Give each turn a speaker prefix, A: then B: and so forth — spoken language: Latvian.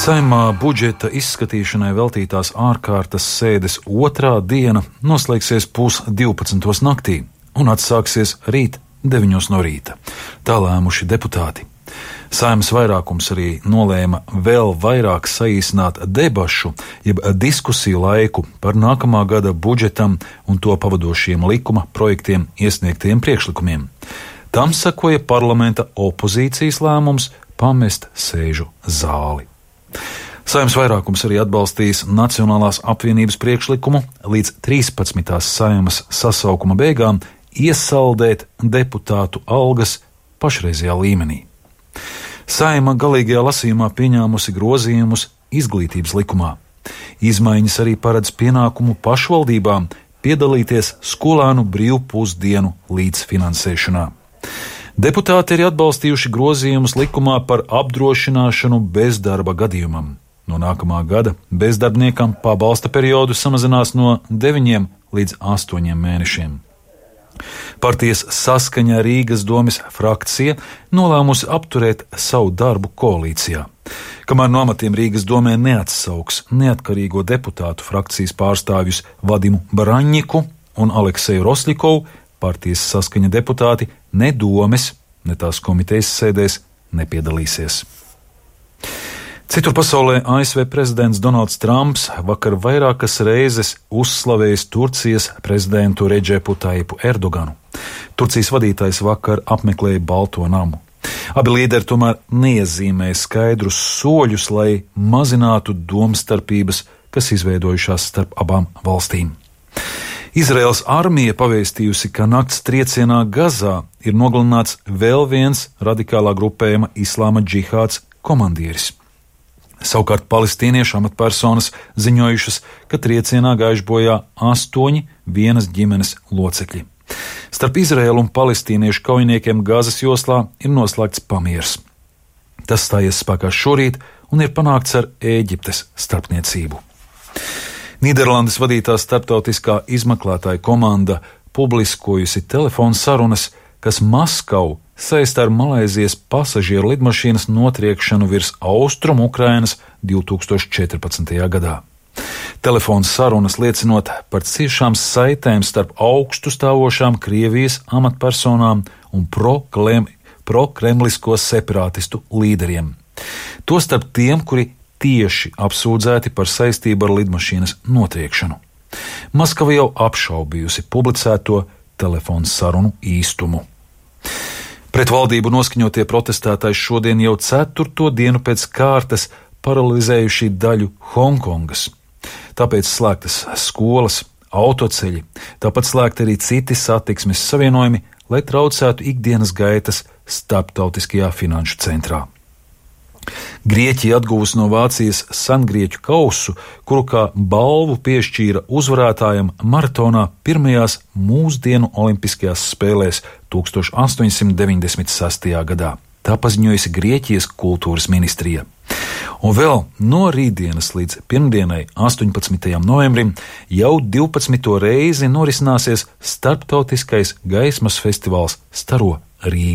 A: Saeimā budžeta izskatīšanai veltītās ārkārtas sēdes otrā diena noslēgsies 11:30 naktī un atsāksies rīt 9 no rīta. Tā lēmuši deputāti. Saeimas vairākums arī nolēma vēl vairāk saīsināt debašu, jeb diskusiju laiku par nākamā gada budžetam un to pavadošiem likuma projektiem iesniegtiem priekšlikumiem. Tam sekoja parlamenta opozīcijas lēmums pamest sēžu zāli. Saeimas vairākums arī atbalstīs Nacionālās apvienības priekšlikumu līdz 13. Saeimas sasaukuma beigām iesaldēt deputātu algas pašreizajā līmenī. Saeima galīgajā lasījumā pieņēmusi grozījumus izglītības likumā. Izmaiņas arī paredz pienākumu pašvaldībām piedalīties skolēnu brīvpusdienu līdzfinansēšanā. Deputāti ir atbalstījuši grozījumus likumā par apdrošināšanu bezdarba gadījumam. No nākamā gada bezdarbniekam pabalsta periodu samazinās no 9 līdz 8 mēnešiem. Partijas Saskaņa Rīgas domes frakcija nolēmusi apturēt savu darbu koalīcijā. Kamēr no amatiem Rīgas domē neatsauks neatkarīgo deputātu frakcijas pārstāvjus Vadimu Baraņņiku un Alekseju Rosļikovu, partijas Saskaņa deputāti ne domes, ne tās komitejas sēdēs nepiedalīsies. Citur pasaulē ASV prezidents Donalds Trumps vakar vairākas reizes uzslavējis Turcijas prezidentu Redžepu Taipu Erdoganu. Turcijas vadītājs vakar apmeklēja Balto namu. Abi līderi tomēr neiezīmēja skaidrus soļus, lai mazinātu domstarpības, kas izveidojušās starp abām valstīm. Izraēlas armija pavēstījusi, ka nakts triecienā Gazā ir nogalināts vēl viens radikālā grupējuma Islāma džihāds komandieris. Savukārt palestīniešu amatpersonas ziņojušas, ka triecienā gājuši bojā 8 vienas ģimenes locekļi. Starp Izraēlu un palestīniešu kaujiniekiem Gazas joslā ir noslēgts pamiers. Tas stājies spēkā šorīt un ir panākts ar Ēģiptes starpniecību. Nīderlandes vadītā starptautiskā izmeklētāja komanda publiskojusi telefonu sarunas, kas Maskavu saista ar Malaizijas pasažieru lidmašīnas notriekšanu virs austrumu Ukrainas 2014. gadā. Telefons sarunas liecinot par ciešām saitēm starp augstu stāvošām Krievijas amatpersonām un prokremlisko separātistu līderiem. Tostarp tiem, kuri tieši apsūdzēti par saistību ar lidmašīnas notriekšanu. Maskava jau apšaubījusi publicēto telefonu sarunu īstumu. Pret valdību noskaņotie protestētāji šodien jau 4. dienu pēc kārtas paralizējuši daļu Hongkongas. Tāpēc slēgtas skolas, autoceļi, tāpat slēgti arī citi satiksmes savienojumi, lai traucētu ikdienas gaitas starptautiskajā finanšu centrā. Grieķija atguvusi no Vācijas sengrieķu kausu, kuru kā balvu piešķīra uzvarētājam maratonā pirmajās mūsdienu olimpiskajās spēlēs 1896. gadā. Tā paziņojusi Grieķijas kultūras ministrija. Un vēl no rītdienas līdz pirmdienai, 18. novembrim, jau 12. reizi norisināsies starptautiskais gaismas festivāls Staro Rīga.